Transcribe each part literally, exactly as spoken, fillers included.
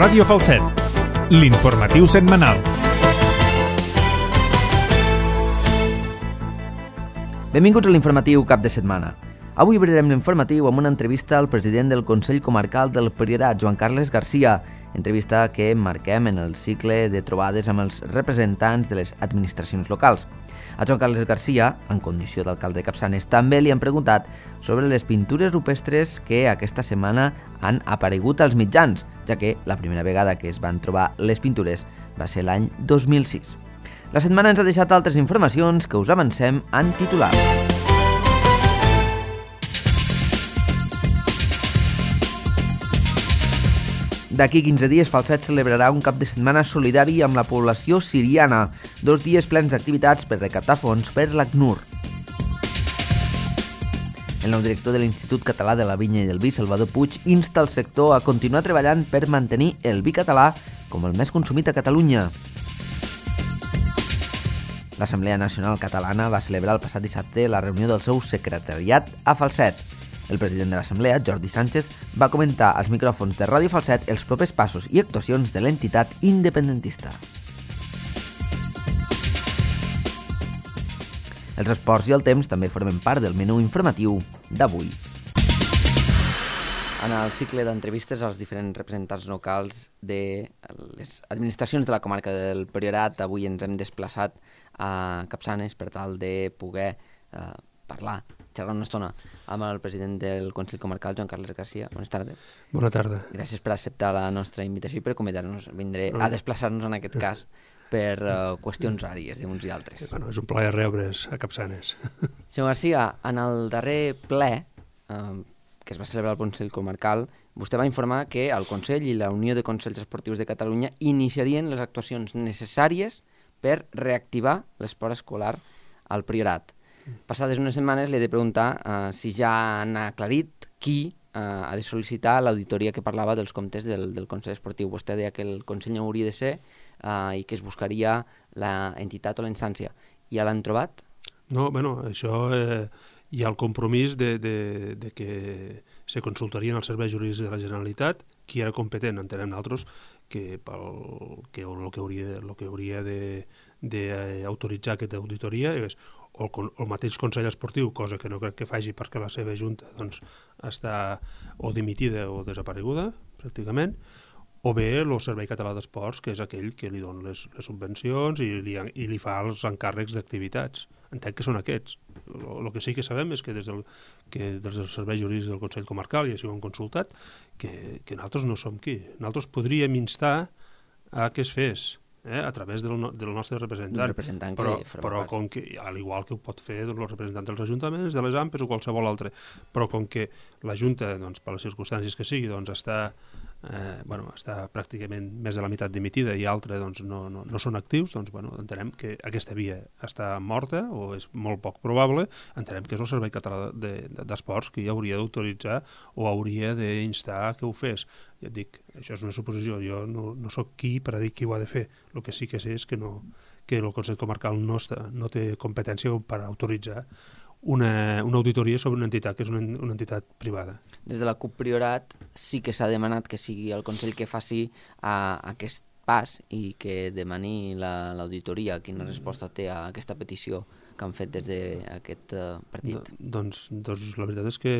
Ràdio Falset, l'informatiu setmanal. Benvinguts a l'informatiu cap de setmana. Avui obrirem l'informatiu amb una entrevista al president del Consell Comarcal del Priorat, Joan Carles Garcia, entrevista que marquem en el cicle de trobades amb els representants de les administracions locals. A Joan Carles Garcia, en condició d'alcalde de Capçanes, també li han preguntat sobre les pintures rupestres que aquesta setmana han aparegut als mitjans, ja que la primera vegada que es van trobar les pintures va ser l'any dos mil sis. La setmana ens ha deixat altres informacions que us avancem en titulars. D'aquí quinze dies, Falset celebrarà un cap de setmana solidari amb la població siriana, dos dies plens d'activitats per recaptar fons per l'ACNUR. El nou director de l'Institut Català de la Vinya i del Vi, Salvador Puig, insta el sector a continuar treballant per mantenir el vi català com el més consumit a Catalunya. L'Assemblea Nacional Catalana va celebrar el passat dissabte la reunió del seu secretariat a Falset. El president de l'Assemblea, Jordi Sánchez, va comentar als micròfons de Ràdio Falset els propers passos i actuacions de l'entitat independentista. Els esports i el temps també formen part del menú informatiu d'avui. En el cicle d'entrevistes als diferents representants locals de les administracions de la comarca del Priorat, avui ens hem desplaçat a Capçanes per tal de poder eh, parlar, xerrar una estona amb el president del Consell Comarcal, Joan Carles Garcia. Bones tardes. Bona tarda. Gràcies per acceptar la nostra invitació i per acomiadar-nos. Vindré a desplaçar-nos en aquest cas per uh, qüestions ràries d'uns i altres. Bueno, és un plaer rebre's a Capçanes. Senyor Garcia, en el darrer ple eh, que es va celebrar al Consell Comarcal, vostè va informar que el Consell i la Unió de Consells Esportius de Catalunya iniciarien les actuacions necessàries per reactivar l'esport escolar al Priorat. Passades unes setmanes li he de preguntar uh, si ja han aclarit qui uh, ha de sol·licitar l'auditoria que parlava dels comptes del, del Consell Esportiu. Vostè deia que el Consell no hauria de ser uh, i que es buscaria l'entitat o la instància. Ja l'han trobat? No, bueno, això eh, hi ha el compromís de, de, de que se consultarien els serveis jurídics de la Generalitat qui era competent. Entenem nosaltres que, pel, que el que hauria, el que hauria de, de eh, autoritzar aquesta auditoria és o el, el mateix Consell Esportiu, cosa que no crec que faci perquè la seva junta doncs, està o dimitida o desapareguda, pràcticament, o bé el Servei Català d'Esports, que és aquell que li dona les, les subvencions i li, i li fa els encàrrecs d'activitats. Entenc que són aquests. El que sí que sabem és que des del, que des dels serveis jurídics del Consell Comarcal, i així ho hem consultat, que, que nosaltres no som qui. Nosaltres podríem instar a que es fes, eh, a través del, del nostre representant, representant però, que però com que, al igual que ho pot fer doncs, els representants dels ajuntaments, de les A M P s o qualsevol altre, però com que la Junta, doncs, per les circumstàncies que sigui, doncs, està, eh, bueno, està pràcticament més de la meitat dimitida i altre doncs, no, no, no són actius, doncs bueno, entenem que aquesta via està morta o és molt poc probable, entenem que és el Servei Català d'Esports de, de, qui hauria d'autoritzar o hauria d'instar que ho fes. Ja et dic, això és una suposició, jo no, no sóc qui per a dir qui ho ha de fer. El que sí que sé és que, no, que el Consell Comarcal no, està, no té competència per autoritzar una, una auditoria sobre una entitat que és una, una entitat privada. Des de la CUP Priorat sí que s'ha demanat que sigui el Consell que faci a, a aquest pas i que demani l'auditoria. La, Quina resposta té a aquesta petició que han fet des d'aquest uh, partit? Do, doncs, doncs la veritat és que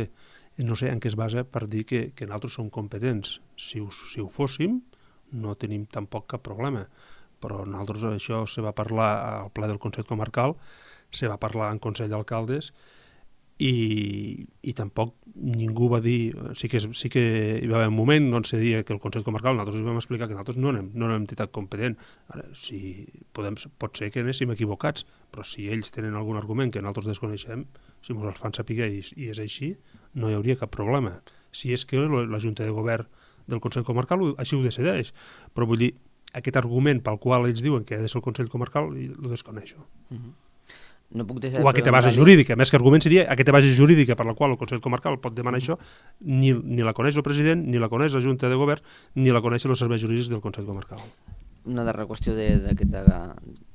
no sé en què es basa per dir que, que nosaltres som competents. Si ho, si ho fóssim, no tenim tampoc cap problema. Però nosaltres això se va parlar al ple del Consell Comarcal, se va parlar en Consell d'Alcaldes i, i tampoc ningú va dir, sí que, sí que hi va haver un moment on se deia que el Consell Comarcal, nosaltres vam explicar que nosaltres no anem, no anem entitat competent. Ara, si podem, pot ser que anéssim equivocats, però si ells tenen algun argument que nosaltres desconeixem, si ens els fan saber i, i és així, no hi hauria cap problema. Si és que la Junta de Govern del Consell Comarcal així ho decideix, però vull dir, aquest argument pel qual ells diuen que ha de ser el Consell Comarcal, el desconeixo. Uh-huh. No puc deixar o aquesta base jurídica, més que argument seria aquesta base jurídica per la qual el Consell Comarcal pot demanar uh-huh. això, ni, ni la coneix el president, ni la coneix la Junta de Govern, ni la coneixen els serveis jurídics del Consell Comarcal. Una darrera qüestió d'aquesta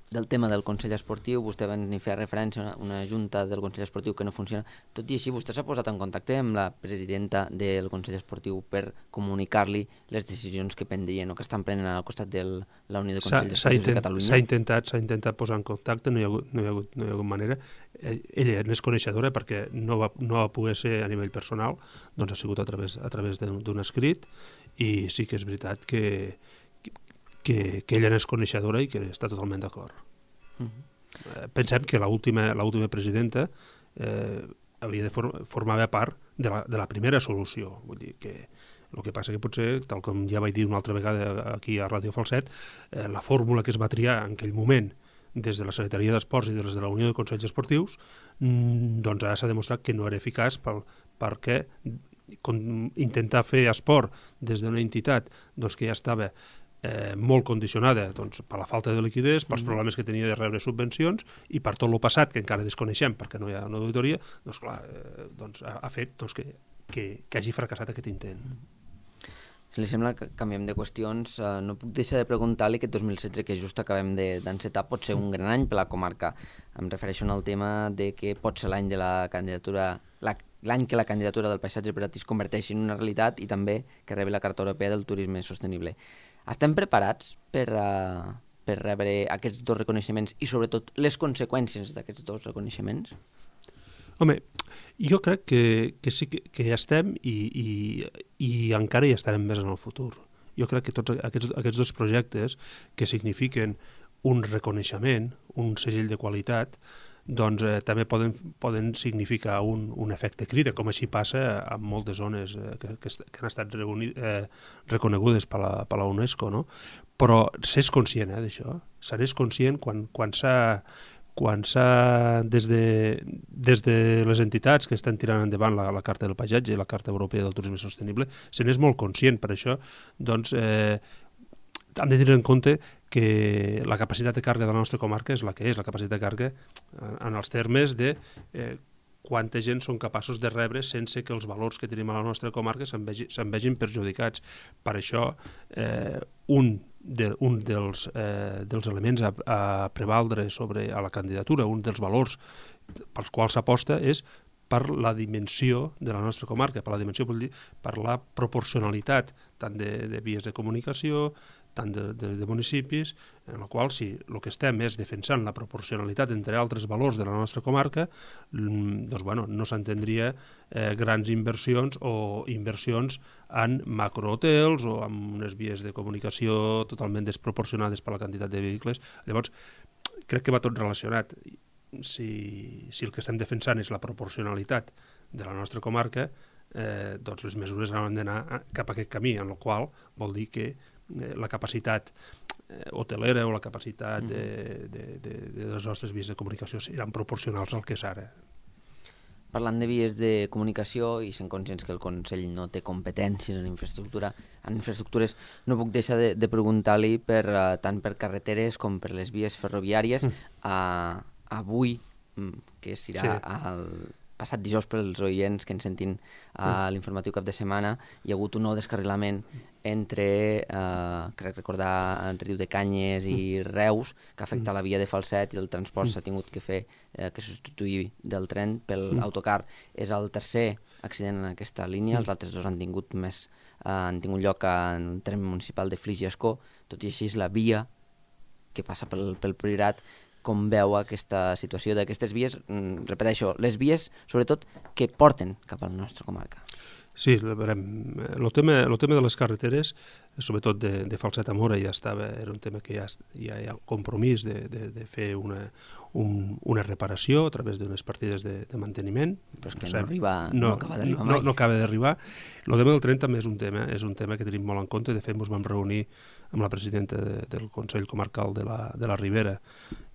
del tema del Consell Esportiu, vostè va fer referència a una, una junta del Consell Esportiu que no funciona. Tot i així, vostè s'ha posat en contacte amb la presidenta del Consell Esportiu per comunicar-li les decisions que prendrien o que estan prenent al costat de la Unió de Consells Esportius de Catalunya? S'ha intentat, s'ha intentat posar en contacte, no hi ha hagut, no hi ha hagut, no hi ha hagut manera. Ella n'és coneixedora perquè no va, no va poder ser a nivell personal, doncs ha sigut a través, a través d'un escrit, i sí que és veritat que Que, que ella n'és coneixedora i que està totalment d'acord. Uh-huh. eh, pensem que l'última l'última presidenta eh, havia de for formava part de la, de la primera solució. Vull dir que el que passa que potser, tal com ja vaig dir una altra vegada aquí a Ràdio Falset, eh, la fórmula que es va triar en aquell moment des de la Secretaria d'Esports i des de la Unió de Consells Esportius, mmm, doncs ara s'ha demostrat que no era eficaç pel, perquè intentar fer esport des d'una entitat doncs, que ja estava Eh, molt condicionada doncs, per la falta de liquiditat, pels problemes que tenia de rebre subvencions i per tot el passat, que encara desconeixem perquè no hi ha una auditoria, doncs clar, eh, doncs, ha, ha fet doncs, que, que, que hagi fracassat aquest intent. Si li sembla que canviem de qüestions, eh, no puc deixar de preguntar-li aquest dos mil setze, que just acabem d'encetar, pot ser un gran any per la comarca. Em refereixo al tema de que pot ser l'any de la candidatura, l'any que la candidatura del paisatge privat es converteixi en una realitat i també que rebi la Carta Europea del Turisme Sostenible. Estem preparats per, uh, per rebre aquests dos reconeixements i sobretot les conseqüències d'aquests dos reconeixements? Home, jo crec que, que sí que, que ja estem i, i, i encara hi estarem més en el futur. Jo crec que tots aquests, aquests dos projectes que signifiquen un reconeixement, un segell de qualitat, doncs eh, també poden, poden significar un, un efecte crida, com així passa en moltes zones eh, que, que, que han estat reuni, eh, reconegudes per la, per la UNESCO, no? Però s'és conscient eh, d'això, se n'és conscient quan, quan s'ha quan s'ha, des, de, des de les entitats que estan tirant endavant la, la Carta del Paisatge i la Carta Europea del Turisme Sostenible, se n'és molt conscient. Per això, doncs, eh, hem de tenir en compte que la capacitat de càrrega de la nostra comarca és la que és, la capacitat de càrrega en els termes de eh, quanta gent són capaços de rebre sense que els valors que tenim a la nostra comarca se'n vegi, se'n vegin perjudicats. Per això, eh, un, de, un dels, eh, dels elements a, a prevaldre sobre a la candidatura, un dels valors pels quals s'aposta és per la dimensió de la nostra comarca, per la dimensió, vull dir, per la proporcionalitat tant de, de vies de comunicació, tant de, de, de municipis, en la qual si el que estem és defensant la proporcionalitat entre altres valors de la nostra comarca, doncs bueno, no s'entendria eh, grans inversions o inversions en macrohotels o en unes vies de comunicació totalment desproporcionades per la quantitat de vehicles. Llavors, crec que va tot relacionat. Si, si el que estem defensant és la proporcionalitat de la nostra comarca, eh, doncs les mesures han d'anar cap a aquest camí, en el qual vol dir que eh, la capacitat eh, hotelera o la capacitat de, de, de, de les nostres vies de comunicació seran proporcionals al que és ara. Parlant de vies de comunicació i sent conscients que el Consell no té competències en infraestructura, en infraestructures, no puc deixar de, de preguntar-li per, uh, tant per carreteres com per les vies ferroviàries. Mm. Uh, avui, que serà sí. el passat dijous per als oients que ens sentin a uh, l'informatiu cap de setmana, hi ha hagut un nou descarrilament entre, uh, crec recordar, el Riu de Canyes i Reus, que afecta la via de Falset i el transport s'ha tingut que fer, eh, que substituir del tren pel autocar. És el tercer accident en aquesta línia, els altres dos han tingut més, eh, han tingut lloc en el tren municipal de Flix i Ascó, tot i així és la via que passa pel, pel Priorat. Com veu aquesta situació d'aquestes vies, repeteixo, les vies sobretot que porten cap a la nostra comarca? Sí, veurem. El tema, el tema de les carreteres, sobretot de, de Falset a Móra, ja estava, era un tema que ja, ja hi ha compromís de, de, de fer una, un, una reparació a través d'unes partides de, de manteniment. Però és que no, arriba, no, no acaba d'arribar mai. No, no acaba d'arribar. El tema del tren també és un tema, és un tema que tenim molt en compte. De fet, ens vam reunir amb la presidenta de, del Consell Comarcal de la, de la Ribera.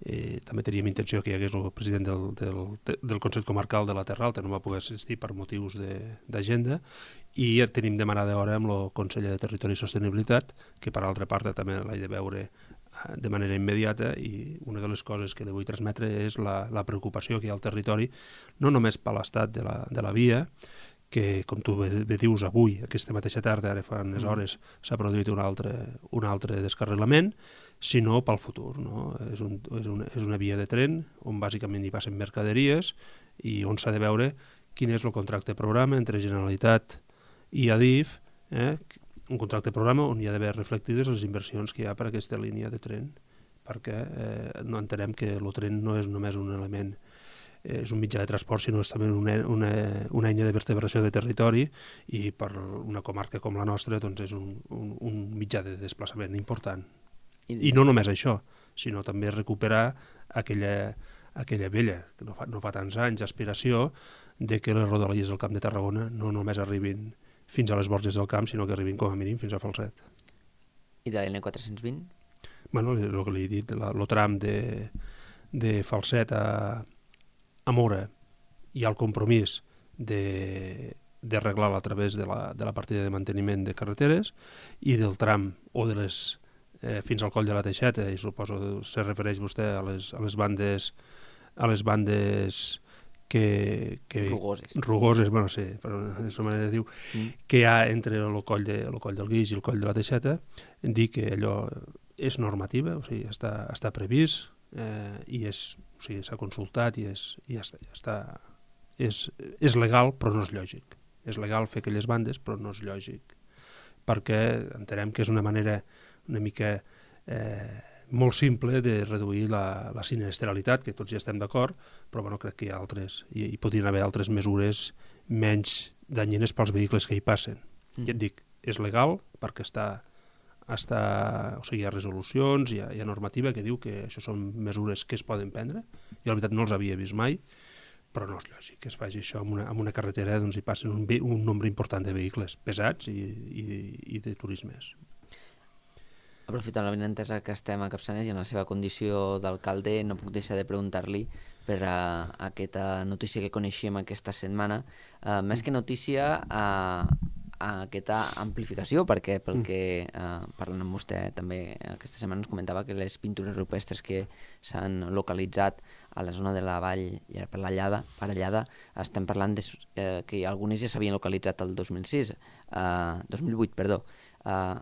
Eh, també teníem intenció que hi hagués el president del, del, del Consell Comarcal de la Terra Alta, no va poder assistir per motius d'agenda, i ja tenim demanada hora amb el conseller de Territori i Sostenibilitat, que per altra part també l'he de veure de manera immediata, i una de les coses que li vull transmetre és la, la preocupació que hi ha al territori, no només per l'estat de la, de la via, que, com tu bé, bé dius, avui, aquesta mateixa tarda, ara fa unes hores, s'ha produït un altre, un altre descarrilament, sinó pel futur. No? És, un, és, una, és una via de tren on bàsicament hi passen mercaderies i on s'ha de veure quin és el contracte programa entre Generalitat i Adif, eh? un contracte programa on hi ha d'haver reflectides les inversions que hi ha per a aquesta línia de tren, perquè eh, no entenem que el tren no és només un element, eh, és un mitjà de transport, sinó és també una, una, una eina de vertebració de territori i per una comarca com la nostra doncs és un, un, un mitjà de desplaçament important. I, I no només això, sinó també recuperar aquella, aquella vella, que no fa, no fa tants anys, aspiració de que les rodalies del Camp de Tarragona no només arribin fins a les Borges del Camp, sinó que arribin com a mínim fins a Falset. I de l'N quatre cents vint? Bueno, el que li he dit, el tram de, de Falset a, a Mora hi ha el compromís d'arreglar-la a través de la, de la partida de manteniment de carreteres i del tram o de les eh, fins al coll de la Teixeta, i suposo se refereix vostè a les, a les bandes a les bandes que, que rugoses, rugoses bueno, sí, però és una manera de dir mm. que hi ha entre el coll, de, el coll del Guix i el coll de la Teixeta, dir que allò és normativa, o sigui, està, està previst eh, i és, o sigui, s'ha consultat i, és, i ja està, ja està és, és legal però no és lògic. És legal fer aquelles bandes però no és lògic, perquè entenem que és una manera una mica eh, molt simple de reduir la, la sinistralitat, que tots ja estem d'acord, però bueno, crec que hi ha altres, i hi podrien haver altres mesures menys danyines pels vehicles que hi passen. Mm. Ja et dic, és legal perquè està, està o sigui, hi ha resolucions, hi ha, hi ha normativa que diu que això són mesures que es poden prendre, i la veritat no els havia vist mai, però no és lògic que es faci això en una, en una carretera on hi passen un, un nombre important de vehicles pesats i, i, i de turismes. Aprofitant la benentesa que estem a Capçanes i en la seva condició d'alcalde, no puc deixar de preguntar-li per a, a aquesta notícia que coneixíem aquesta setmana, uh, més que notícia a, a aquesta amplificació, perquè pel que uh, parlant amb vostè també aquesta setmana ens comentava que les pintures rupestres que s'han localitzat a la zona de la vall ja per la Llada, Parellada, estem parlant de, eh, que algunes ja s'havien localitzat el dos mil sis, uh, dos mil vuit, perdó. Uh,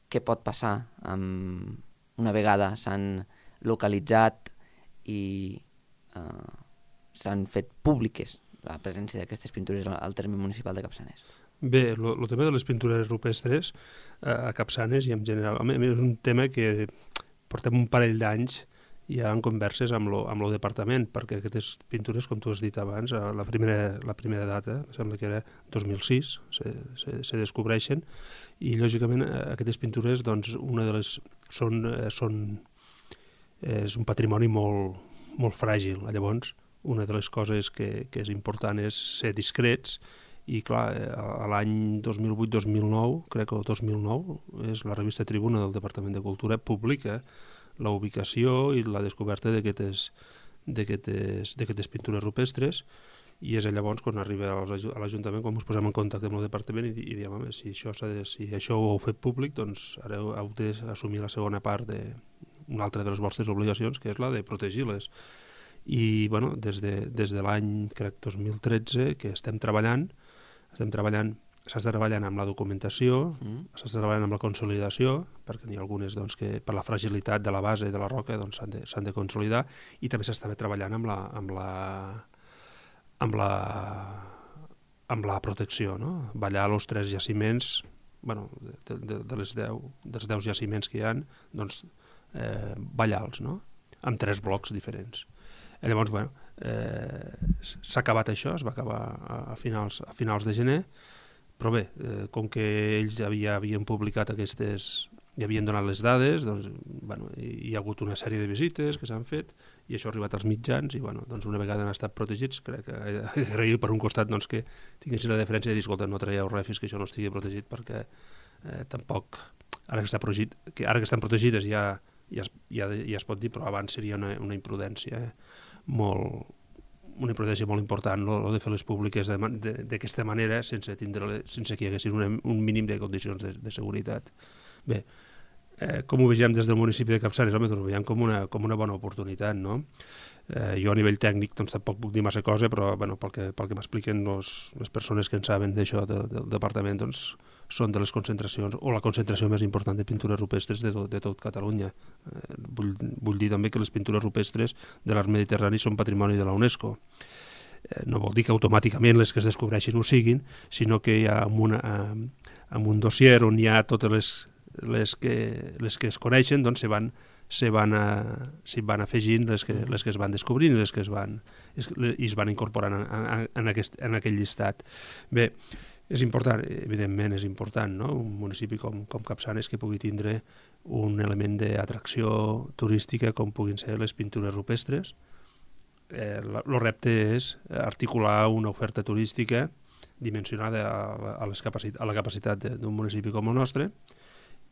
què pot passar amb una vegada s'han localitzat i uh, s'han fet públiques la presència d'aquestes pintures al terme municipal de Capçanes? Bé, el tema de les pintures rupestres uh, a Capçanes i en general, home, és un tema que portem un parell d'anys ja en converses amb lo, amb lo departament, perquè aquestes pintures, com tu has dit abans, la primera, la primera data, sembla que era dos mil sis, se, se, se descobreixen, i lògicament aquestes pintures, doncs, una de les són, són és un patrimoni molt, molt fràgil. Llavors, una de les coses que, que és important és ser discrets, i clar, a l'any dos mil vuit dos mil nou, crec que el dos mil nou, és la revista Tribuna del Departament de Cultura, publica la ubicació i la descoberta d'aquestes pintures rupestres, i és llavors quan arriba a l'Ajuntament, quan ens posem en contacte amb el departament i, i diem, home, si això, de, si això ho heu fet públic, doncs ara heu d'assumir la segona part d'una altra de les vostres obligacions, que és la de protegir-les. I bueno, des de, des de l'any, crec, dos mil tretze, que estem treballant, estem treballant s'està treballant amb la documentació, mm. s'està treballant amb la consolidació, perquè n'hi ha algunes doncs, que per la fragilitat de la base de la roca doncs, s'han de, s'han de consolidar, i també s'està treballant amb la, amb la, amb la, amb la protecció, no? Ballar els tres jaciments, bueno, de, de, de les deu, dels deu jaciments que hi ha, doncs, eh, ballar-los, no? Amb tres blocs diferents. I llavors, bueno, eh, s'ha acabat això, es va acabar a finals, a finals de gener, però bé, eh, com que ells ja havia, havien publicat aquestes, ja havien donat les dades, doncs, bueno, hi ha hagut una sèrie de visites que s'han fet i això ha arribat als mitjans i bueno, doncs una vegada han estat protegits, crec que agraïu per un costat doncs, que tinguessin la deferència de dir, escolta, no traieu res fins que això no estigui protegit perquè eh, tampoc, ara que, està protegit, que ara que estan protegides ja, ja, ja, ja es pot dir, però abans seria una, una imprudència eh, molt una imprudència molt important, no? De fer les públiques d'aquesta manera sense, tindre, sense que hi haguessin un, un mínim de condicions de, de seguretat. Bé, eh, com ho vegem des del municipi de Capçanes? Home, doncs ho veiem com una, com una bona oportunitat, no? Eh, jo a nivell tècnic doncs, tampoc puc dir massa cosa, però bueno, pel que, pel que m'expliquen les persones que en saben d'això de, del departament, doncs, són de les concentracions, o la concentració més important de pintures rupestres de tot, de tot Catalunya. Eh, vull, vull dir també que les pintures rupestres de l'art mediterrani són patrimoni de la UNESCO. Eh, no vol dir que automàticament les que es descobreixin ho siguin, sinó que hi ha amb, una, amb un dossier on hi ha totes les, les, que, les que es coneixen, doncs se van se van, a, se van afegint les que, les que es van descobrint i les que es van, es, i es van incorporant en, en, aquest, en aquell llistat. Bé, és important, evidentment és important, no? Un municipi com, com Capçanes que pugui tindre un element d'atracció turística com puguin ser les pintures rupestres. Eh, el repte és articular una oferta turística dimensionada a, a, les capacit a la capacitat d'un municipi com el nostre,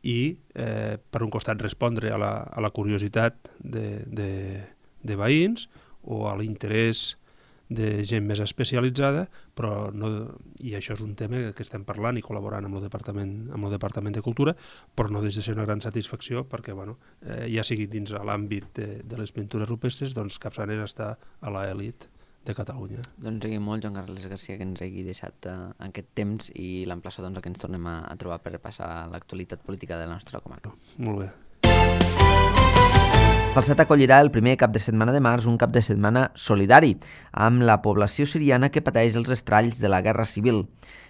i eh, per un costat respondre a la, a la curiositat de, de, de veïns o a l'interès de gent més especialitzada, però no, i això és un tema que estem parlant i col·laborant amb el Departament, amb el Departament de Cultura, però no deixa de ser una gran satisfacció perquè bueno, eh, ja sigui dins l'àmbit de, de les pintures rupestres, doncs Capçanes està a l'elit de Catalunya. Doncs agraïm molt, Joan Carles Garcia, que ens hagi deixat uh, aquest temps i l'emplaço doncs, que ens tornem a, a trobar per repassar l'actualitat política de la nostra comarca. Molt bé. Falset acollirà el primer cap de setmana de març un cap de setmana solidari amb la població siriana que pateix els estralls de la Guerra Civil.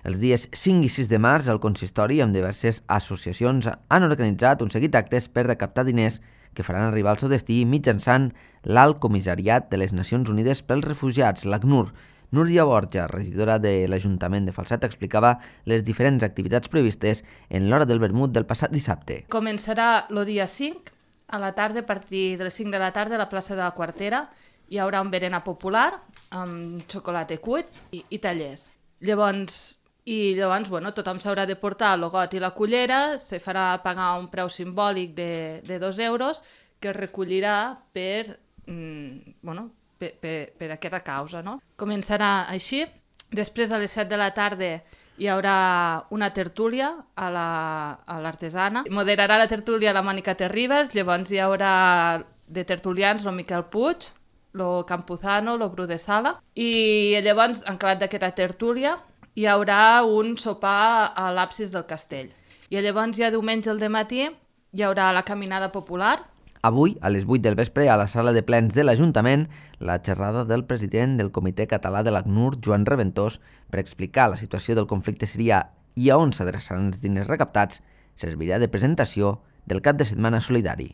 Els dies cinc i sis de març, el consistori amb diverses associacions han organitzat un seguit d'actes per recaptar diners que faran arribar al seu destí mitjançant l'Alt Comissariat de les Nacions Unides pels Refugiats, l'ACNUR. Núria Borja, regidora de l'Ajuntament de Falset, explicava les diferents activitats previstes en l'hora del vermut del passat dissabte. Començarà el dia cinc, a la tarda, a partir de les cinc de la tarda, a la plaça de la Quartera. Hi haurà un berenar popular amb xocolata cuit i, i tallers. Llavors, i llavors bueno, tothom s'haurà de portar el got i la cullera, se farà pagar un preu simbòlic de, de dos euros que es recollirà per, mm, bueno, per, per, per aquesta causa. No? Començarà així, després a les set de la tarda hi haurà una tertúlia a l'artesana. La, Moderarà la tertúlia la Mònica Terribas, llavors hi haurà de tertulians el Miquel Puig, el Campuzano, el Bru de Sala, i llavors, en acabat d'aquesta tertúlia, hi haurà un sopar a l'absis del castell. I llavors ja diumenge al dematí hi haurà la caminada popular. Avui, a les vuit del vespre, a la sala de plens de l'Ajuntament, la xerrada del president del Comitè Català de l'ACNUR, Joan Reventós, per explicar la situació del conflicte sirià i a on s'adreçaran els diners recaptats, servirà de presentació del cap de setmana solidari.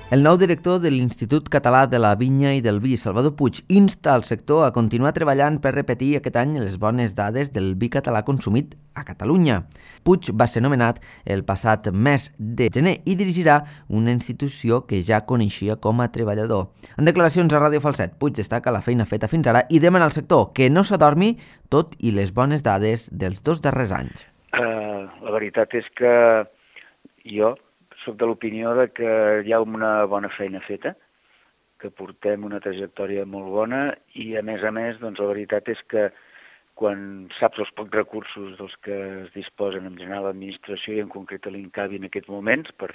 El nou director de l'Institut Català de la Vinya i del Vi, Salvador Puig, insta al sector a continuar treballant per repetir aquest any les bones dades del vi català consumit a Catalunya. Puig va ser nomenat el passat mes de gener i dirigirà una institució que ja coneixia com a treballador. En declaracions a Ràdio Falset, Puig destaca la feina feta fins ara i demana al sector que no s'adormi tot i les bones dades dels dos darrers anys. Uh, la veritat és que jo soc de l'opinió de que hi ha una bona feina feta, que portem una trajectòria molt bona i, a més a més, doncs, la veritat és que quan saps els pocs recursos dels que es disposen en general l'administració i en concret a l'INCAVI en aquests moments per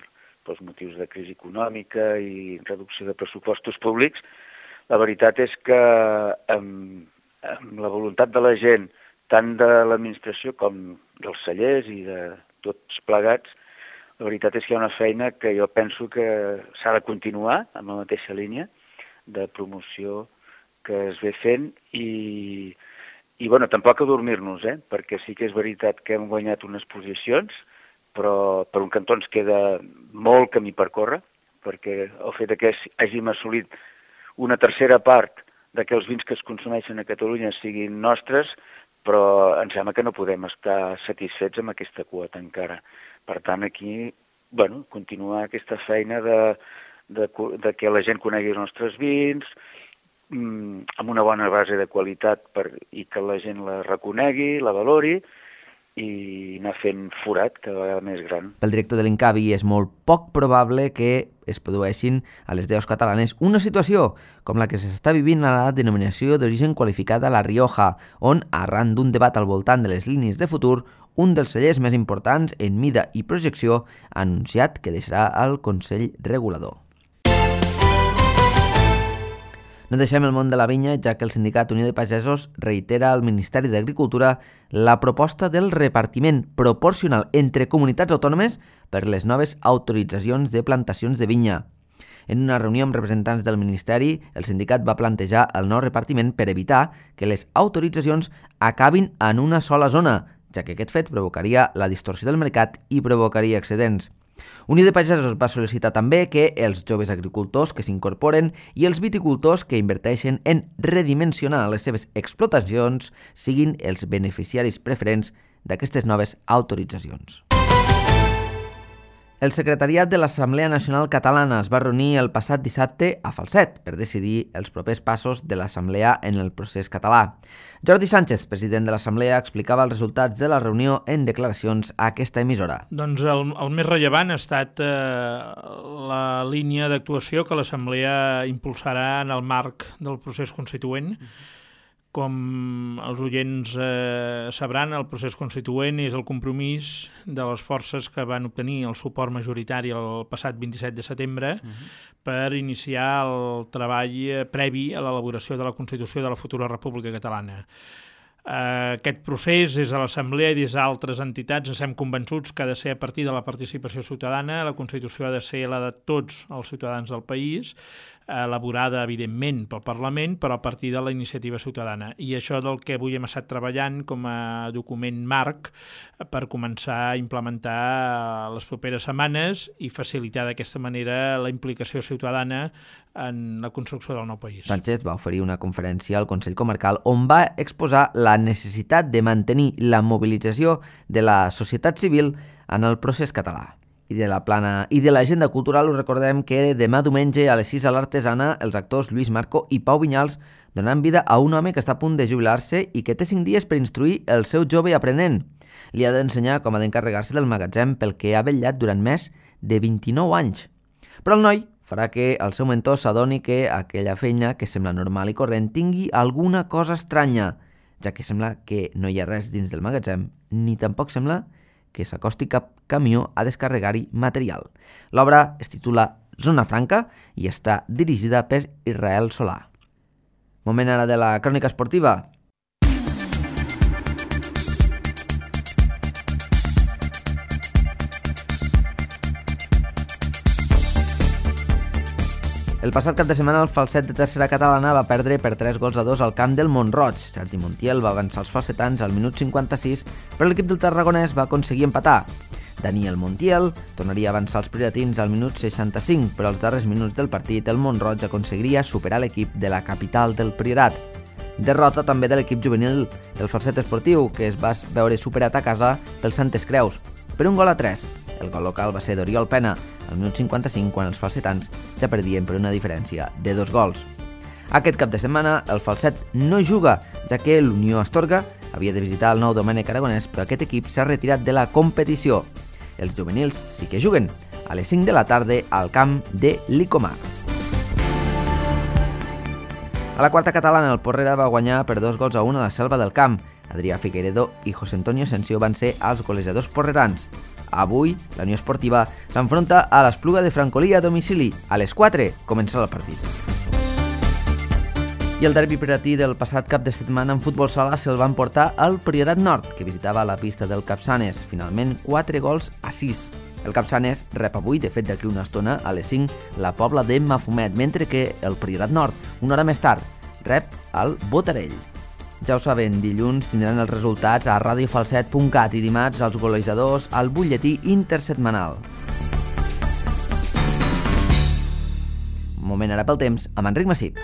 pels motius de crisi econòmica i reducció de pressupostos públics, la veritat és que amb, amb la voluntat de la gent, tant de l'administració com dels cellers i de tots plegats, la veritat és que hi ha una feina que jo penso que s'ha de continuar amb la mateixa línia de promoció que es ve fent i, i bueno, tampoc adormir-nos, eh? Perquè sí que és veritat que hem guanyat unes posicions, però per un cantó ens queda molt camí per córrer, perquè el fet que hàgim assolit una tercera part de que els vins que es consumeixen a Catalunya siguin nostres, però em sembla que no podem estar satisfets amb aquesta quota encara. Per tant, aquí, bueno, continuar aquesta feina de, de, de que la gent conegui els nostres vins, mmm, amb una bona base de qualitat per, i que la gent la reconegui, la valori, i anar fent forat cada vegada més gran. Pel director de l'INCAVI és molt poc probable que es produeixin a les deus catalanes una situació com la que s'està vivint a la denominació d'origen qualificada La Rioja, on, arran d'un debat al voltant de les línies de futur, un dels cellers més importants en mida i projecció, ha anunciat que deixarà el Consell Regulador. No deixem el món de la vinya, ja que el sindicat Unió de Pagesos reitera al Ministeri d'Agricultura la proposta del repartiment proporcional entre comunitats autònomes per les noves autoritzacions de plantacions de vinya. En una reunió amb representants del Ministeri, el sindicat va plantejar el nou repartiment per evitar que les autoritzacions acabin en una sola zona, ja que aquest fet provocaria la distorsió del mercat i provocaria excedents. Unió de Pagesos va sol·licitar també que els joves agricultors que s'incorporen i els viticultors que inverteixen en redimensionar les seves explotacions siguin els beneficiaris preferents d'aquestes noves autoritzacions. El secretariat de l'Assemblea Nacional Catalana es va reunir el passat dissabte a Falset per decidir els propers passos de l'Assemblea en el procés català. Jordi Sánchez, president de l'Assemblea, explicava els resultats de la reunió en declaracions a aquesta emissora. Doncs el, el més rellevant ha estat eh, la línia d'actuació que l'Assemblea impulsarà en el marc del procés constituent. Com els oients eh, sabran, el procés constituent és el compromís de les forces que van obtenir el suport majoritari el passat vint-i-set de setembre uh-huh. per iniciar el treball previ a l'elaboració de la Constitució de la futura República Catalana. Eh, aquest procés des de l'Assemblea i des d'altres entitats ens hem convençuts que ha de ser a partir de la participació ciutadana. La Constitució ha de ser la de tots els ciutadans del país, elaborada, evidentment, pel Parlament, però a partir de la iniciativa ciutadana. I això del que avui hem estat treballant com a document marc per començar a implementar les properes setmanes i facilitar d'aquesta manera la implicació ciutadana en la construcció del nou país. Sánchez va oferir una conferència al Consell Comarcal on va exposar la necessitat de mantenir la mobilització de la societat civil en el procés català. I de la plana i de l'agenda cultural us recordem que demà diumenge a les sis a l'Artesana els actors Lluís Marco i Pau Vinyals donaran vida a un home que està a punt de jubilar-se i que té cinc dies per instruir el seu jove aprenent. Li ha d'ensenyar com ha d'encarregar-se del magatzem pel que ha vetllat durant més de vint-i-nou anys. Però el noi farà que el seu mentor s'adoni que aquella feina que sembla normal i corrent tingui alguna cosa estranya, ja que sembla que no hi ha res dins del magatzem, ni tampoc sembla que s'acosti cap camió a descarregar-hi material. L'obra es titula Zona Franca i està dirigida per Israel Solà. Moment ara de la crònica esportiva. El passat cap de setmana el Falset de tercera catalana va perdre per tres gols a dos al camp del Mont-roig. Sergi Montiel va avançar els falsetans al minut cinquanta-sis, però l'equip del tarragonès va aconseguir empatar. Daniel Montiel tornaria a avançar els prioratins al minut seixanta-cinc, però als darrers minuts del partit el Mont-roig aconseguiria superar l'equip de la capital del Priorat. Derrota també de l'equip juvenil del Falset Esportiu, que es va veure superat a casa pel Santes Creus, per un gol a tres. El gol local va ser d'Oriol Pena, al minut cinquanta-cinc, quan els falsetans ja perdien per una diferència de dos gols. Aquest cap de setmana el Falset no juga, ja que l'Unió Astorga havia de visitar el Nou Domènec Aragonès, però aquest equip s'ha retirat de la competició. Els juvenils sí que juguen, a les cinc de la tarda al camp de l'Icomar. A la quarta catalana el Porrera va guanyar per dos gols a un a la Selva del Camp. Adrià Figueiredo i José Antonio Asensio van ser els golejadors porrerans. Avui, la Unió Esportiva s'enfronta a l'Espluga de Francolí a domicili. A les quatre començarà el partit. I el derbi prioratí del passat cap de setmana en futbol sala se'l van portar al Priorat Nord, que visitava la pista del Capçanes. Finalment, quatre gols a sis. El Capçanes rep avui, de fet d'aquí una estona, a les cinc, la Pobla de Mafumet, mentre que el Priorat Nord, una hora més tard, rep al Botarell. Ja ho saben, dilluns tindran els resultats a radio falset punt cat i dimarts els golejadors al butlletí intersetmanal. Moment ara pel temps amb Enric Massip.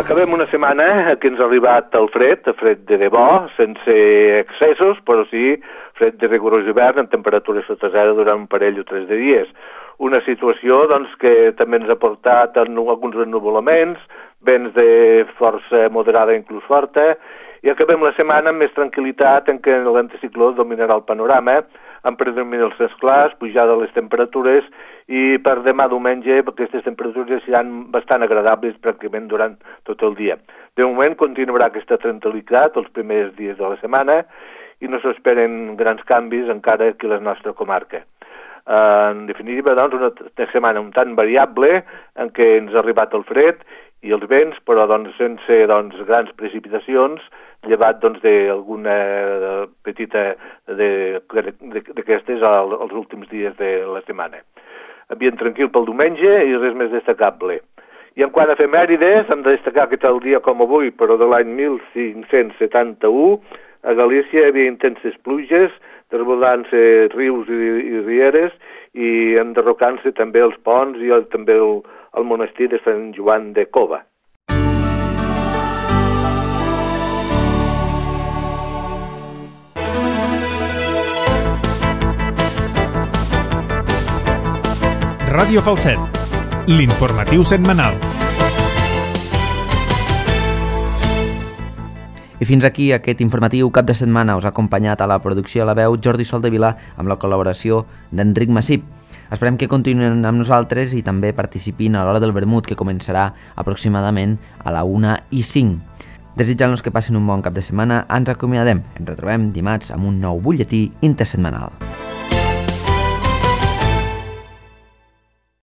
Acabem una setmana que ens ha arribat el fred, el fred de debò, sense excessos, però sí fred de rigorós hivern amb temperatures sota zero durant un parell o tres de dies. Una situació doncs, que també ens ha portat a alguns ennuvolaments, vents de força moderada inclús forta, i acabem la setmana amb més tranquil·litat en què l'anticicló dominarà el panorama, amb predominacions clars, pujada de les temperatures, i per demà diumenge aquestes temperatures seran bastant agradables pràcticament durant tot el dia. De moment continuarà aquesta tranquil·litat els primers dies de la setmana i no s'esperen grans canvis encara aquí a la nostra comarca. En definitiva, doncs, una setmana un tant variable en què ens ha arribat el fred i els vents, però doncs, sense doncs, grans precipitacions, llevat doncs, d'alguna petita d'aquestes als últims dies de la setmana. Ambient tranquil pel diumenge i res més destacable. I en quant a efemèrides, hem de destacar que tal dia com avui, però de l'any mil cinc-cents setanta-u, a Galícia hi havia intenses pluges, desbordant-se rius i, i rieres i enderrocant-se també els ponts i el, també el, el monestir de Sant Joan de Cova. Ràdio Falset, l'informatiu setmanal. I fins aquí aquest informatiu cap de setmana. Us ha acompanyat a la producció a la veu Jordi Soldevila amb la col·laboració d'Enric Massip. Esperem que continuïn amb nosaltres i també participin a l'hora del vermut, que començarà aproximadament a la una i cinc. Desitjant-los que passin un bon cap de setmana, ens acomiadem. Ens retrobem dimarts amb un nou butlletí intersetmanal.